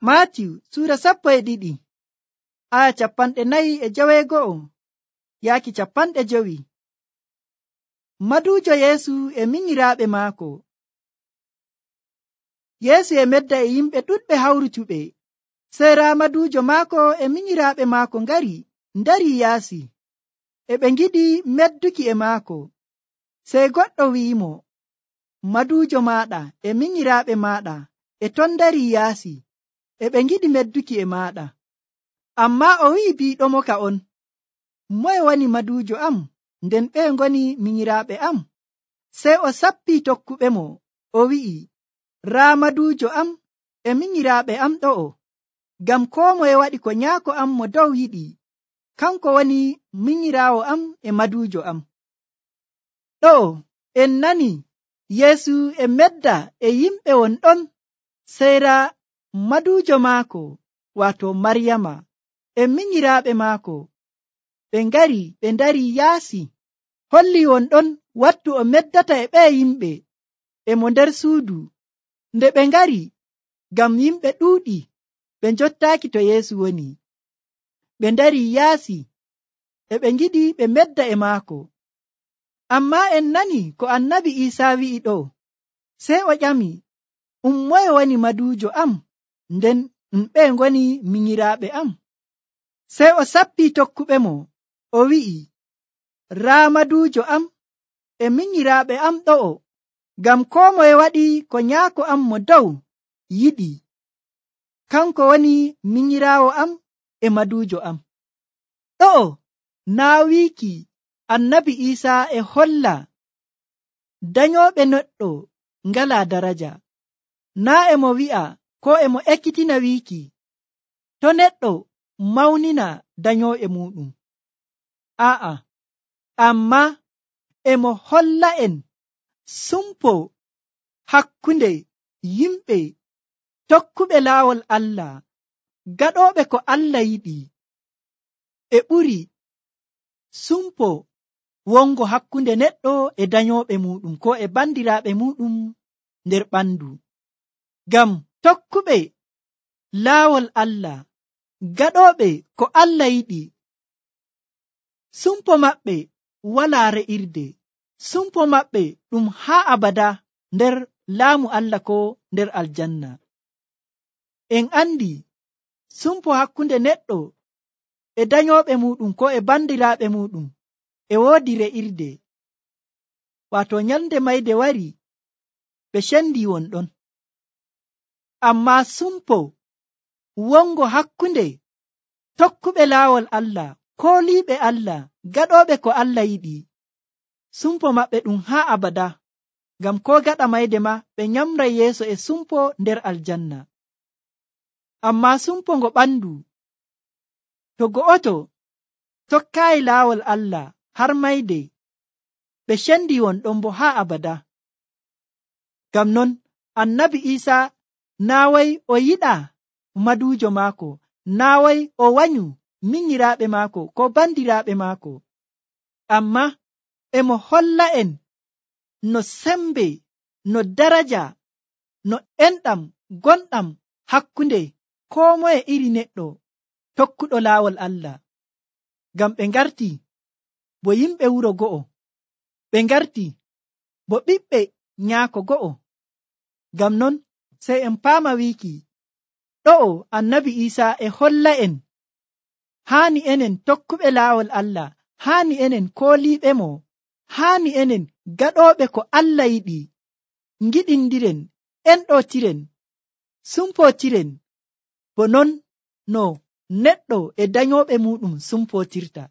Maatiyu suura 12 aya 49 yaaki 50. Maduujo Yeesu e minyiraaɓe maako. Yeesu e medda e yimɓe ɗuɗɓe hawrutuɓe. Sey raa maduujo maako e minyiraaɓe maako ndari yaasi. E ɓe ngiɗi medduki e maako. Sey goɗɗo wi'imo, maduujo maaɗa e minyiraaɓe maaɗa e ton ndari yaasi. E ɓe ngiɗi medduki e maaɗa. Ammaa o wi'i biiɗomo ka on, moye woni maduujo am, nden ɓe ngoni minyiraaɓe am? Sey o sappii tokkuɓemo, o wi'i, raa maduujo am e minyiraaɓe am ɗo'o, ngam koo moye waɗi ko nyaako am mo dow yiɗi, kanko woni minyiraawo am e maduujo am. Ɗo'o en nani Yeesu e medda e yimɓe won ɗon. Sey raa maduujo maako, waato Maryama, e minyiraaɓe maako ɓe ngari ɓe ndari yaasi. Holli won ɗon wattu o meddata e ɓe yimɓe e mo nder suudu. Nde ɓe ngari, ngam yimɓe ɗuuɗi, ɓe njottaaki to Yeesu woni. Ɓe ndari yaasi, e ɓe ngiɗi ɓe medda e maako. Ammaa en nani ko annabi Iisaa wi'i ɗo. Sey o ƴami, moye woni maduujo am, nden ɓe ngoni minyiraaɓe am? Sey o sappii tokkuɓemo, o wi'i, raa maduujo am e minyiraaɓe am ɗo'o, ngam koo moye waɗi ko nyaako am mo dow yiɗi, kanko woni minyiraawo am e maduujo am. Ɗo'o naa wiiki annabi Iisaa e holla danyooɓe neɗɗo ngalaa daraja. Naa e mo wi'a ko e mo ekkitina wiiki to neɗɗo mawnina danyooɓe muɗum. Aa'a, ammaa e mo holla en sumpo hakkunde yimɓe tokkuɓe laawol Allah, gaɗooɓe ko Allah yiɗi, e ɓuri sumpo wongo hakkunde neɗɗo e danyooɓe muɗum ko e bandiraaɓe muɗum nder ɓandu. Ngam tokkuɓe laawol Allah, gaɗooɓe ko Allah yiɗi, sumpo maɓɓe walaa re'irde. Sumpo maɓɓe ɗum haa abada nder laamu Allah ko nder aljanna. En andi sumpo hakkunde neɗɗo e danyooɓe muɗum ko e bandiraaɓe muɗum e woodi re'irde. Waato nyalnde mayde wari, ɓe cendi won ɗon. Ammaa sumpo wongo hakkunde tokkuɓe laawol Allah, kooliiɓe Allah, gaɗooɓe ko Allah yiɗi, sumpo maɓɓe ɗum haa abada. Ngam ko gaɗa mayde ma ɓe nyamray yeeso e sumpo nder aljanna. Ammaa sumpo ngo ɓandu, to go'oto tokkaayi laawol Allah har mayde, ɓe cendi won ɗon bo haa abada. Ngam non annabi Iisaa naaway o yiɗa maduujo maako, naaway o wanyu minyiraaɓe maako ko bandiraaɓe maako, ammaa e mo holla en no sembe, no daraja, no enɗam gonɗam hakkunde koo moye iri neɗɗo tokkuɗo laawol Allah. Ngam ɓe ngarti bo yimɓe wuro go'o, ɓe ngarti bo ɓiɓɓe nyaako go'o. Ngam non sey en paama wiiki ɗo'o annabi Iisaa e holla en haani enen tokkuɓe laawol Allah, haani enen kooliiɓe mo, haani enen gaɗooɓe ko Allah yiɗi, ngiɗindiren, enɗootiren, sumpootiren, bo non no neɗɗo e danyooɓe muɗum sumpootirta.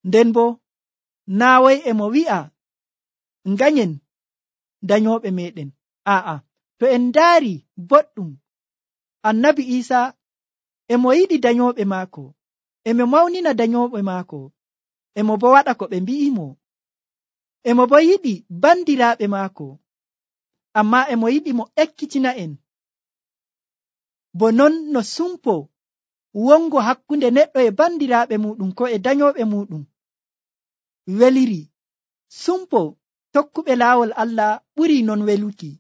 Nden bo naaway e mo wi'a nganyen danyooɓe meɗen. Aa'a, to en ndaari boɗɗum, annabi Iisaa e mo yiɗi danyooɓe maako, e mo mawnina danyooɓe maako, e mo bo waɗa ko ɓe mbi'imo, e mo bo yiɗi bandiraaɓe maako, ammaa e mo yiɗi mo ekkitina en. Bo non no sumpo wongo hakkunde neɗɗo e bandiraaɓe muɗum ko e danyooɓe muɗum weliri, sumpo tokkuɓe laawol Allah ɓuri non weluki,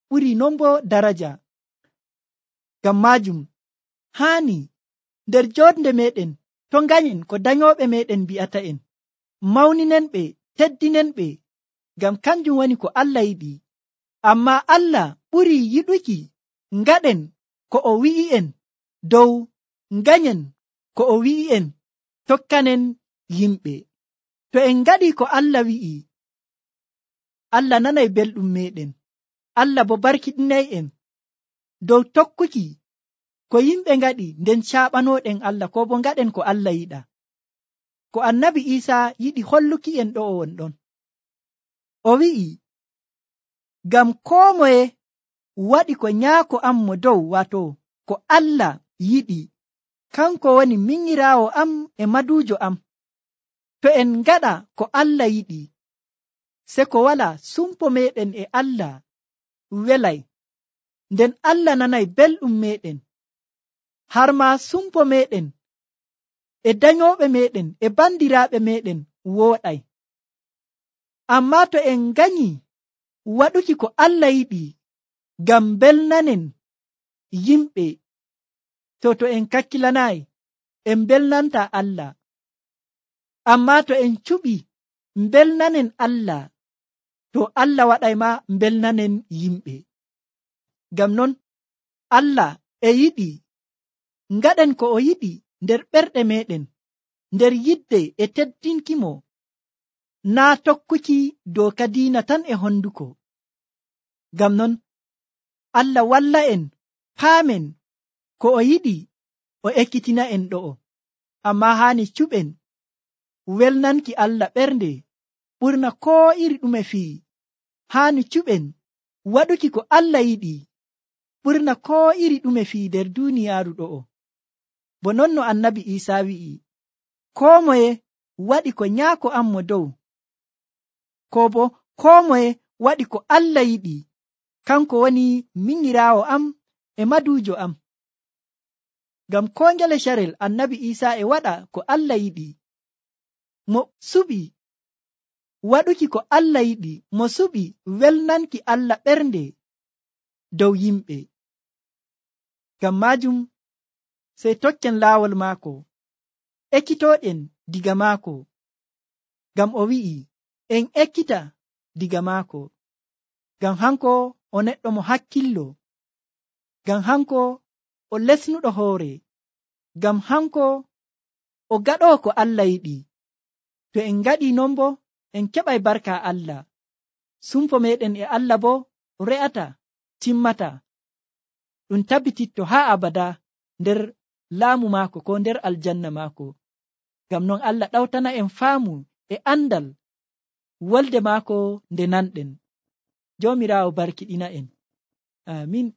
ɓuri non bo daraja. Ngam maajum haani nder joɗnde meɗen to ganyen ko dayoɓe meɗen mbi'ata en, mawninen ɓe, teddinen ɓe, ngam kanjum woni ko Allah yiɗi. Amma Allah ɓuri yiɗuki ngaɗen ko o wi'i en dow ganyen ko o wi'i en tokkanen yimɓe. To en ngaɗi ko Allah wi'i, Allah nanay belɗum meɗen, Allah bo barkiɗinay en dow tokkuki ko yimɓe ngaɗi, nden caɓanoɗen Allah, ko bo ngaɗen ko Allah yiɗa. Ko annabi Isa yiɗi holluki en ɗo o wonɗon. O wi'i, ngam koo moye waɗi ko nyaako am mo dow, wato ko Allah yiɗi, kanko woni minyiraawo am e maduujo am. To en ngaɗa ko Allah yiɗi, se ko wala sumpo meɗen e Allah welay, nden Allah nanay belɗum meɗen, har ma sumpo meɗen e dayoɓe meɗen e bandiraaɓe meɗen wooɗay. Amma to en ganyi waɗuki ko Allah yiɗi ngam belnanen yimɓe, to en kakkilanayi, en belnanta Allah. Amma to en cuɓi belnanen Allah, to Allah waɗay ma belnanen yimɓe. Ngam non Allah e yiɗi ngaɗen ko o yiɗi nder ɓerɗe meɗen, nder yidde e teddinkimo, naa tokkuki dooka diina tan e honduko. Ngam non Allah walla en paamen ko o yiɗi o ekkitina en ɗo'o. Amma haani cuɓen welnanki Allah ɓernde ɓurna koo iri ɗume fii. Haani cuɓen waɗuki ko Allah yiɗi ɓurna koo iri ɗume fii nder duuniyaaru ɗo'o. Bo non no annabi Isa wi'i, koo moye waɗi ko nyaako am mo dow, ko bo koo moye waɗi ko Allah yiɗi, kanko woni minyiraawo am e maduujo am. Ngam koo ngele carel annabi Isa e waɗa ko Allah yiɗi. Mo suɓi waɗuki ko Allah yiɗi, mo suɓi welnanki Allah ɓernde dow yimɓe. Ngam maajum sey tokken laawol maako, ekkitooɗen diga maako, ngam o wi'i en ekkita diga maako. Ngam hanko o neɗɗo mo hakkillo, ngam hanko o lesnuɗo hoore, ngam hanko o gaɗoo ko Allah yiɗi. To en ngaɗi non bo en keɓay barka Allah, sumpo meɗen e Allah bo re'ata timmata, ɗum tabbititto haa abada nder laamu maako ko nder aljanna maako. Ngam non Allah ɗawtana en faamu e andal wolde maako nde nanɗen. Joomiraawo barkiɗina en. Amin.